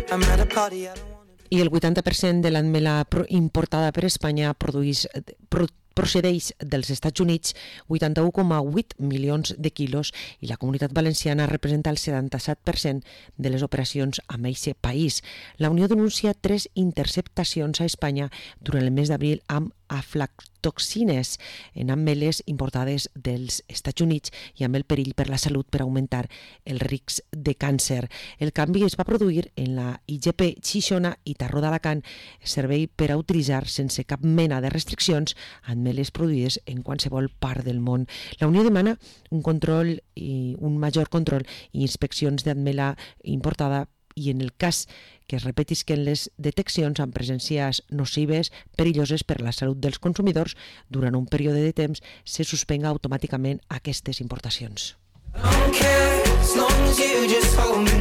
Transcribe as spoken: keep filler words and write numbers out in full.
I el vuitanta per cent de l'atmela importada per Espanya produeix, pro, procedeix dels Estats Units, vuitanta-u coma vuit milions de quilos, i la Comunitat Valenciana representa el setanta-set per cent de les operacions amb aquest país. La Unió denuncia tres interceptacions a Espanya durant el mes d'abril amb aflatoxines en ameles importades dels Estats Units i amb el perill per la salut per augmentar el risc de càncer. El canvi es va produir en la I G P Xixona i Tarró d'Alacant, servei per a utilitzar sense cap mena de restriccions ameles produïdes en qualsevol part del món. La Unió demana un control i un major control i inspeccions d'atmela importada, i en el cas que es repetisquen les deteccions amb presències nocives, perilloses per a la salut dels consumidors, durant un període de temps se suspenga automàticament aquestes importacions. I don't care, as long as you just hold me